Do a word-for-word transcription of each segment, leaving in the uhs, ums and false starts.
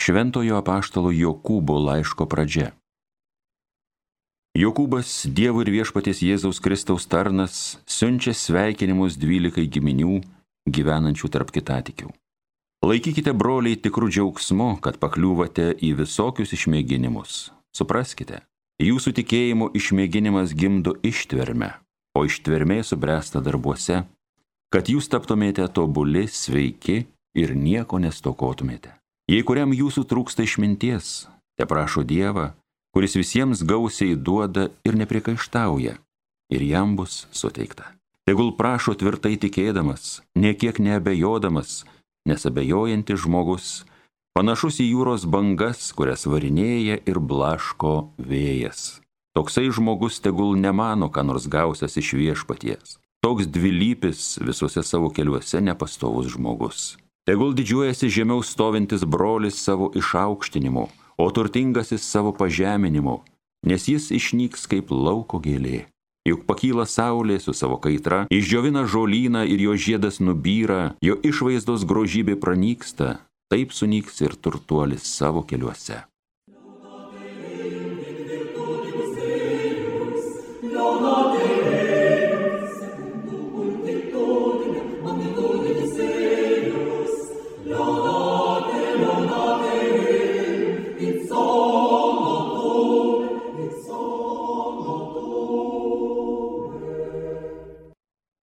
Šventojo apaštalo Jokūbo laiško pradžia. Jokūbas, Dievo ir Viešpaties Jėzaus Kristaus tarnas, siunčia sveikinimus dvylikai giminių gyvenančių tarp kitatikių. Laikykite, broliai, tikrų džiaugsmu, kad pakliūvate į visokius išmėginimus. Supraskite, jūsų tikėjimo išmėginimas gimdo ištvermę, o ištvermė subręsta darbuose, kad jūs taptumėte tobuli, sveiki ir nieko nestokotumėte. Jei kuriam jūsų trūksta išminties, te prašo Dievą, kuris visiems gausiai duoda ir neprikaištauja, ir jam bus suteikta. Tegul prašo tvirtai tikėdamas, niekiek neabejodamas, nes abejojantis žmogus panašus į jūros bangas, kurias varinėja ir blaško vėjas. Toksai žmogus tegul nemano, ką nors gausias iš Viešpaties. Toks dvilypis visuose savo keliuose nepastovus žmogus. Tegul didžiuojasi žemiau stovintis brolis savo išaukštinimu, o turtingasis savo pažeminimu, nes jis išnyks kaip lauko gėlė. Juk pakyla saulė su savo kaitra, išdžiovina žolyną ir jo žiedas nubyra, jo išvaizdos grožybė pranyksta, taip sunyks ir turtuolis savo keliuose.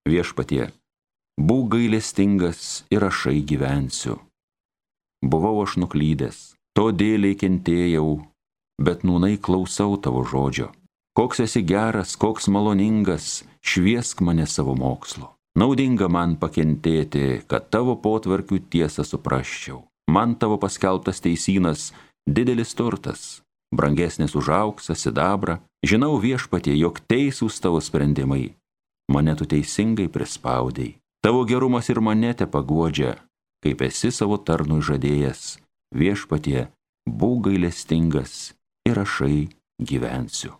Viešpatie, būk gailestingas ir ašai gyvensiu. Buvau aš nuklydęs, todėl kentėjau, bet nūnai klausau tavo žodžio. Koks esi geras, koks maloningas, šviesk mane savo mokslo. Naudinga man pakentėti, kad tavo potvarkių tiesą suprasčiau. Man tavo paskelbtas teisynas didelis turtas, brangesnis už auksą, sidabrą. Žinau, Viešpatie, jog teisūs tavo sprendimai. Mane tu teisingai prispaudei. Tavo gerumas ir mane te paguodžia, kaip esi savo tarnui žadėjęs. Viešpatie, būk gailestingas ir ašai gyvensiu.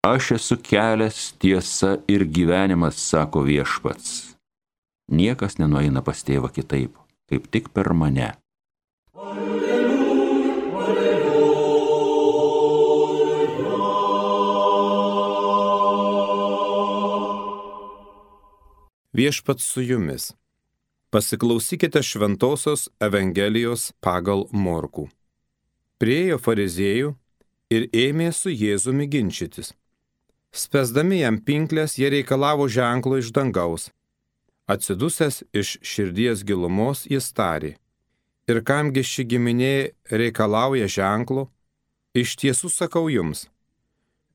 Aš esu kelias, tiesa ir gyvenimas, sako Viešpats. Niekas nenueina pas tėvą kitaip, kaip tik per mane. Viešpats su jumis. Pasiklausykite šventosios Evangelijos pagal Morkų. Priėjo fariziejų ir ėmė su Jėzumi ginčytis. Spęsdami jam pinklės, jie reikalavo ženklo iš dangaus. Atsidusęs iš širdies gilumos jis tarė: ir kamgi ši giminė reikalauja ženklo? Iš tiesų sakau jums,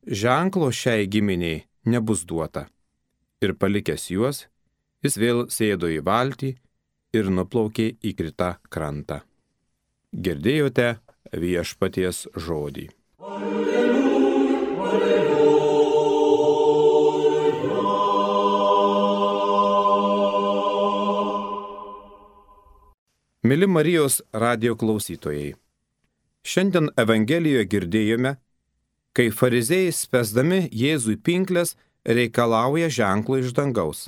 ženklo šiai giminiai nebus duota. Ir palikęs juos, jis vėl sėdo į valtį ir nuplaukė į kitą krantą. Girdėjote Viešpaties žodį. Alleluja, alleluja. Mili Marijos radijo klausytojai, šiandien Evangelijoje girdėjome, kai fariziejai spęsdami Jėzui pinklės reikalauja ženklo iš dangaus.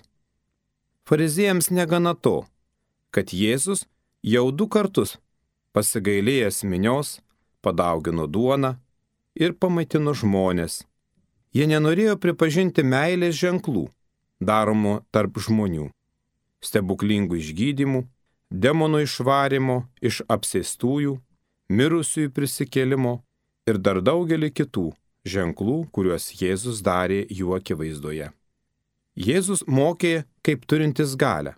Fariziejams negana to, kad Jėzus jau du kartus pasigailėjęs minios, padaugino duoną ir pamaitino žmonės. Jie nenorėjo pripažinti meilės ženklų, daromų tarp žmonių, stebuklingų išgydymų, demonų išvarimo iš apsėstųjų, mirusiųjų prisikėlimo ir dar daugelį kitų ženklų, kuriuos Jėzus darė jų akivaizdoje. Jėzus mokė kaip turintis galią.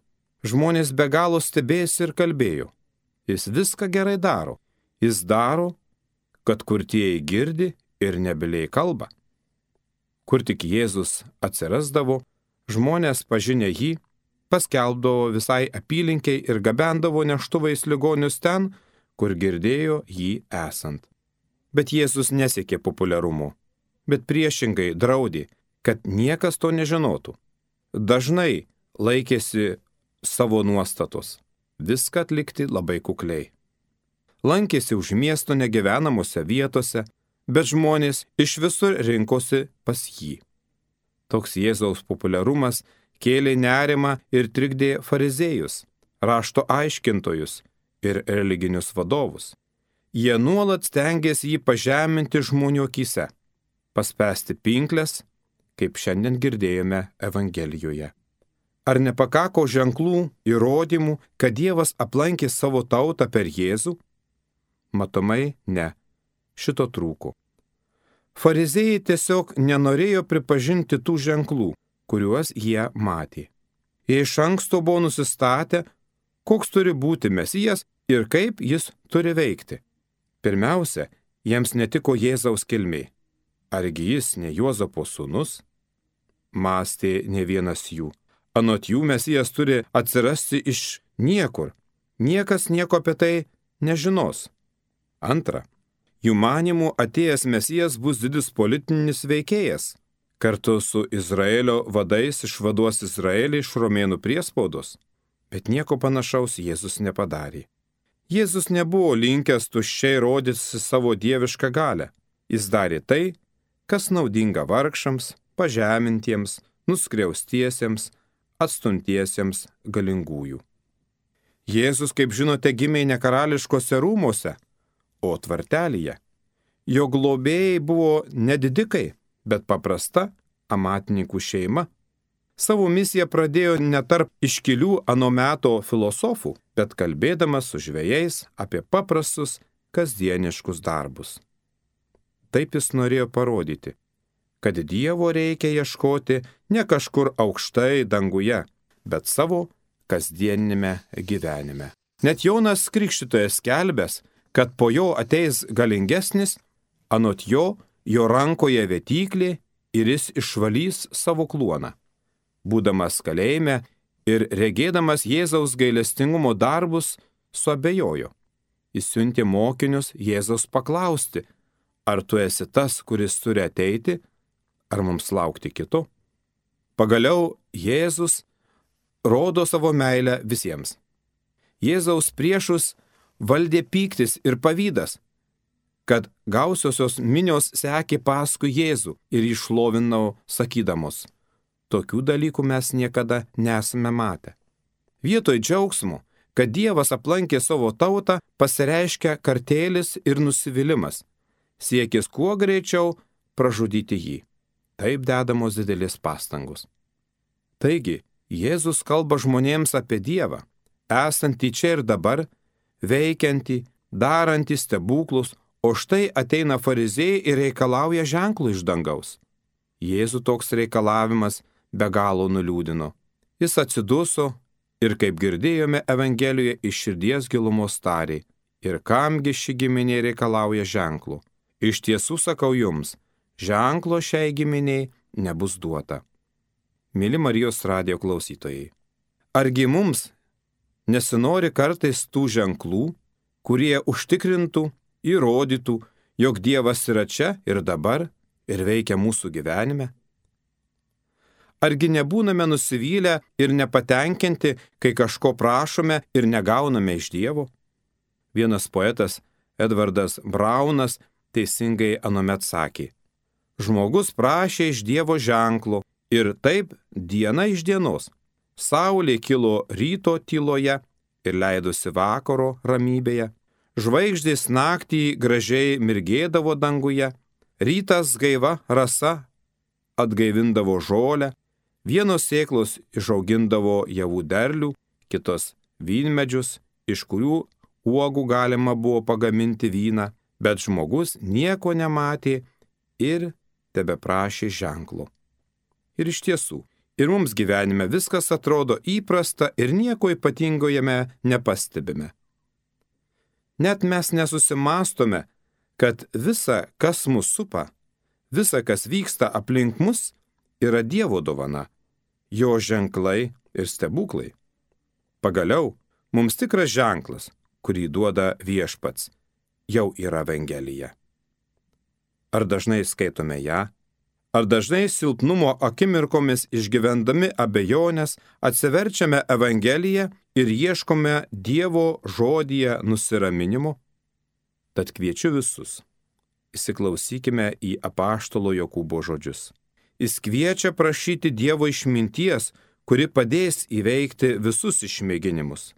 Žmonės be galo stebėjosi ir kalbėjo: jis viską gerai daro. Jis daro, kad kurtieji girdi ir nebyliai kalba. Kur tik Jėzus atsirasdavo, žmonės pažinę jį paskelbdavo visai apylinkiai ir gabendavo neštuvais ligonius ten, kur girdėjo jį esant. Bet Jėzus nesiekė populiarumo, bet priešingai draudė, kad niekas to nežinotų. Dažnai laikėsi savo nuostatos, viską atlikti labai kukliai. Lankėsi už miesto negyvenamose vietose, bet žmonės iš visur rinkosi pas jį. Toks Jėzaus populiarumas kėlė nerimą ir trikdė fariziejus, rašto aiškintojus ir religinius vadovus. Jie nuolat stengėsi jį pažeminti žmonių akyse, paspęsti pinklės, kaip šiandien girdėjome Evangelijoje. Ar nepakako ženklų, įrodymų, kad Dievas aplankė savo tautą per Jėzų? Matomai ne, šito trūko. Fariziejai tiesiog nenorėjo pripažinti tų ženklų, kuriuos jie matė. Jie iš anksto buvo nusistatę, koks turi būti Mesijas ir kaip jis turi veikti. Pirmiausia, jiems netiko Jėzaus kilmė. Argi jis ne Juozapo sūnus? Mąstė ne vienas jų. Anot jų Mesijas turi atsirasti iš niekur. Niekas nieko apie tai nežinos. Antra, jų manimų atėjęs Mesijas bus didis politinis veikėjas. Kartu su Izraelio vadais išvaduos Izraelį iš romėnų priespaudos. Bet nieko panašaus Jėzus nepadarė. Jėzus nebuvo linkęs tuščiai rodyti savo dievišką galią. Jis darė tai, kas naudinga vargšams, pažemintiems, nuskriaustiesiems, atstumtiesiems galingųjų. Jėzus, kaip žinote, gimė ne karališkose rūmose, o tvartelyje. Jo globėjai buvo nedidikai, bet paprasta amatininkų šeima. Savo misiją pradėjo ne tarp iškilių ano meto filosofų, bet kalbėdamas su žvejais apie paprastus kasdieniškus darbus. Taip jis norėjo parodyti, kad Dievo reikia ieškoti ne kažkur aukštai danguje, bet savo kasdienime gyvenime. Net Jonas Krikštytojas skelbęs, kad po jo ateis galingesnis, anot jo, jo rankoje vėtyklė ir jis išvalys savo kluoną. Būdamas kalėjime ir regėdamas Jėzaus gailestingumo darbus, suabejojo. Jis siuntė mokinius Jėzaus paklausti, ar tu esi tas, kuris turi ateiti, ar mums laukti kito? Pagaliau Jėzus rodo savo meilę visiems. Jėzaus priešus valdė pyktis ir pavydas, kad gausiosios minios sekė paskui Jėzų ir išlovinau sakydamos, tokių dalykų mes niekada nesame matę. Vietoj džiaugsmo, kad Dievas aplankė savo tautą, pasireiškia kartėlis ir nusivylimas, siekis kuo greičiau pražudyti jį. Taip dedamos didelės pastangos. Taigi, Jėzus kalba žmonėms apie Dievą, esantį čia ir dabar, veikiantį, darantį stebuklus, o štai ateina fariziejai ir reikalauja ženklų iš dangaus. Jėzų toks reikalavimas be galo nuliūdino. Jis atsiduso ir, kaip girdėjome Evangelijoje, iš širdies gilumos tarė, ir kamgi ši giminė reikalauja ženklų. Iš tiesų sakau jums, ženklo šiai giminiai nebus duota. Mili Marijos radijo klausytojai, argi mums nesinori kartais tų ženklų, kurie užtikrintų, įrodytų, jog Dievas yra čia ir dabar ir veikia mūsų gyvenime? Argi nebūname nusivylę ir nepatenkinti, kai kažko prašome ir negauname iš Dievo? Vienas poetas, Edvardas Braunas, teisingai anuomet sakė, žmogus prašė iš Dievo ženklo ir taip diena iš dienos. Saulė kilo ryto tyloje ir leidosi vakaro ramybėje. Žvaigždės naktį gražiai mirgėdavo danguje. Rytas gaiva rasa atgaivindavo žolę. Vienos sėklos išaugindavo javų derlių, kitos vynmedžius, iš kurių uogų galima buvo pagaminti vyną, bet žmogus nieko nematė ir tebeprašė ženklo. Ir iš tiesų, ir mums gyvenime viskas atrodo įprasta ir nieko ypatingo jame nepastebime. Net mes nesusimastome, kad visa, kas mus supa, visa, kas vyksta aplink mus, yra Dievo dovana, jo ženklai ir stebuklai. Pagaliau, mums tikras ženklas, kurį duoda Viešpats, jau yra Evangelija. Ar dažnai skaitome ją? Ar dažnai silpnumo akimirkomis išgyvendami abejonės atsiverčiame Evangeliją ir ieškome Dievo žodyje nusiraminimo? Tad kviečiu visus, įsiklausykime į apaštalo Jokūbo žodžius. Jis kviečia prašyti Dievo išminties, kuri padės įveikti visus išmėginimus.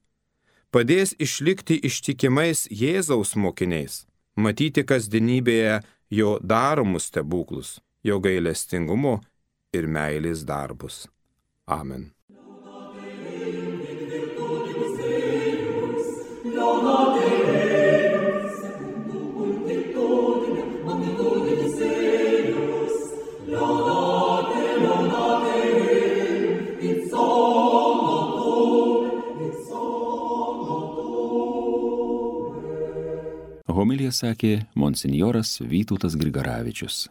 Padės išlikti ištikimais Jėzaus mokiniais, matyti kasdienybėje jo daromus stebuklus, jo gailestingumo ir meilės darbus. Amen. Homiliją sakė monsinjoras Vytautas Grigaravičius.